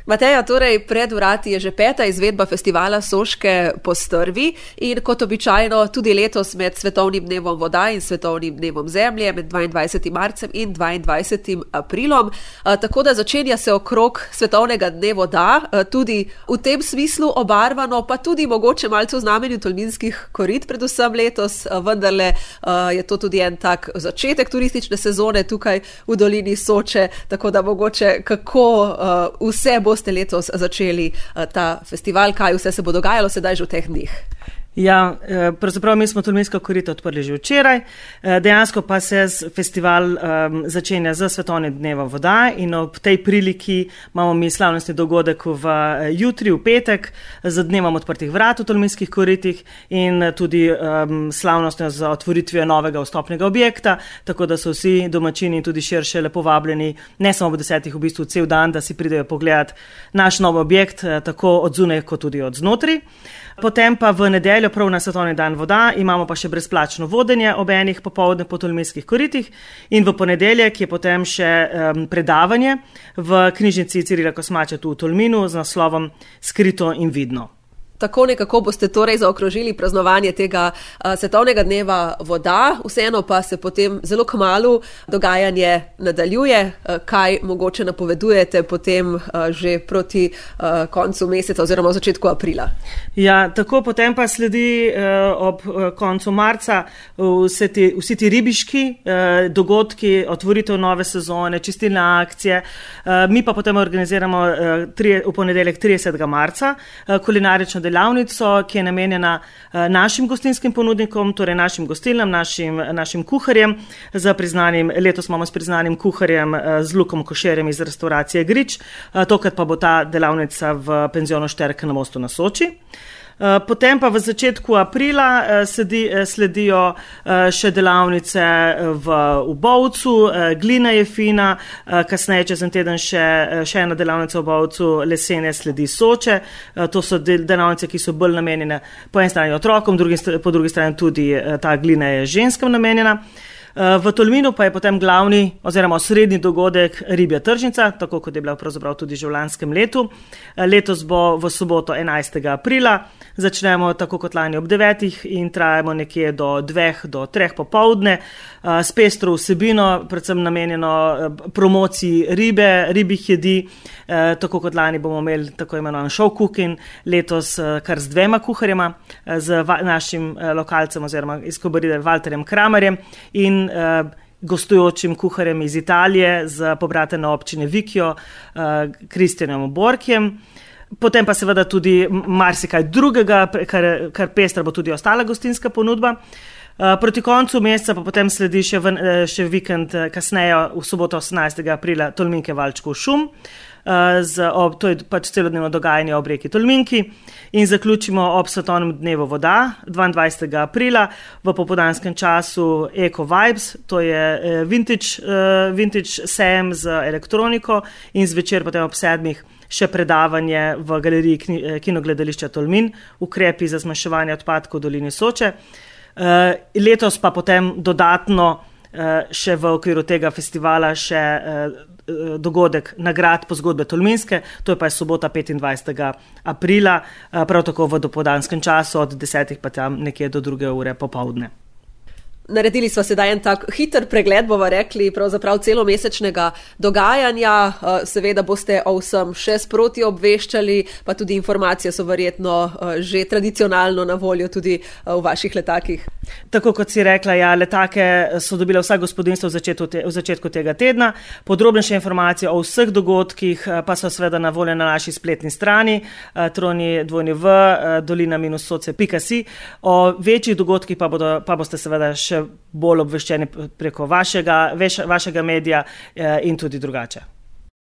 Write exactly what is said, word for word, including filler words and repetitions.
Mateja, torej pred vrati je že peta izvedba festivala Soške postrvi in kot običajno tudi letos med Svetovnim dnevom voda in Svetovnim dnevom zemlje, med dvaindvajsetim marcem in dvaindvajsetim aprilom. Tako da začenja se okrog Svetovnega dne voda, tudi v tem smislu obarvano, pa tudi mogoče malce v znamenju tolminskih korit predvsem letos, vendarle je to tudi en tak začetek turistične sezone tukaj v dolini Soče, tako da mogoče kako vse bo ste letos začeli ta festival, kaj vse se bo dogajalo sedaj že v teh dneh? Ja, pravzaprav mi smo Tolminska korita odprli že včeraj, dejansko pa se festival um, začenja z Svetovnim dnevom voda in ob tej priliki imamo mi slavnostni dogodek v jutri, v petek, z dnevom odprtih vrat v Tolminskih koritih in tudi um, slavnostno za otvoritvijo novega vstopnega objekta, tako da so vsi domačini in tudi širše lepo vabljeni, ne samo v desetih, v bistvu cel dan, da si pridejo pogledati naš nov objekt, tako od zunaj kot tudi od znotraj. Potem pa v nedeljo, prav na Svetovni dan voda, imamo pa še brezplačno vodenje ob enih popoldne po Tolminskih koritih in v ponedeljek je potem še um, predavanje v knjižnici Cirila Kosmača tu v Tolminu z naslovom Skrito in vidno. Tako nekako boste torej zaokrožili praznovanje tega uh, Svetovnega dneva voda, vseeno pa se potem zelo kmalu dogajanje nadaljuje, uh, kaj mogoče napovedujete potem uh, že proti uh, koncu meseca oziroma v začetku aprila. Ja, tako potem pa sledi uh, ob uh, koncu marca vse ti, vsi ti ribiški uh, dogodki, otvoritev nove sezone, čistilne akcije. Uh, mi pa potem organiziramo uh, tri, v ponedeljek tridesetega marca uh, kulinarično delavnico, ki je namenjena našim gostinskim ponudnikom, torej našim gostilnam, našim, našim kuharjem, z priznanim, letos imamo s priznanim kuharjem z Lukom Košerjem iz restauracije Grič, tokrat pa bo ta delavnica v penzionu Šterke na Mostu na Soči. Potem pa v začetku aprila sledi, sledijo še delavnice v, v Bovcu, glina je fina, kasneje čez en teden še, še ena delavnica v Bovcu, lesene sledi Soče. To so delavnice, ki so bolj namenjene po eni strani otrokom, drugi, po drugi strani tudi ta glina je ženskam namenjena. V Tolminu pa je potem glavni oziroma osrednji dogodek ribja tržnica, tako kot je bila pravzaprav tudi že v lanskem letu. Letos bo v soboto enajstega aprila, začnemo tako kot lani ob devetih in trajamo nekje do dveh do treh popoldne, s pestro vsebino, predvsem namenjeno promociji ribe, ribjih jedi, tako kot lani bomo imeli tako imenovan show cooking, letos kar z dvema kuharjema, z našim lokalcem oziroma iz Kobaride Valterjem Kramerjem in gostujočim kuharjem iz Italije z pobratene občine Vikjo, Kristjanom Borkjem. Potem pa seveda tudi marsikaj drugega, kar, kar pestra bo tudi ostala gostinska ponudba. Proti koncu meseca pa potem sledi še, v, še vikend kasneje v soboto osemnajstega aprila Tolminke Valčkov šum. Z, ob, to je pač celodnevno dogajanje ob reki Tolminki in zaključimo ob Svetovnem dnevu voda dvaindvajsetega aprila v popoldanskem času Eco Vibes, to je vintage, vintage sejem z elektroniko in zvečer potem ob sedmih še predavanje v galeriji Kinogledališča Tolmin, ukrepi za zmanjševanje odpadkov v dolini Soče. Letos pa potem dodatno še v okviru tega festivala še dogodek nagrad po zgodbe Tolminske, to je pa je sobota petindvajsetega aprila, prav tako v dopoldanskem času od desetih pa tam nekje do druge ure popoldne. Naredili smo sedaj en tak hiter pregled, bova rekli, pravzaprav celomesečnega dogajanja. Seveda boste o vsem še sproti obveščali, pa tudi informacije so verjetno že tradicionalno na voljo tudi v vaših letakih. Tako kot si rekla, ja, letake so dobile vsa gospodinstva v začetku, te, v začetku tega tedna. Podrobnejše informacije o vseh dogodkih pa so seveda na voljo na naši spletni strani troni dvojni v dolina minus soce pika si. O večjih dogodkih pa, bodo, pa boste seveda še bolj obveščeni preko vašega, vašega medija in tudi drugače.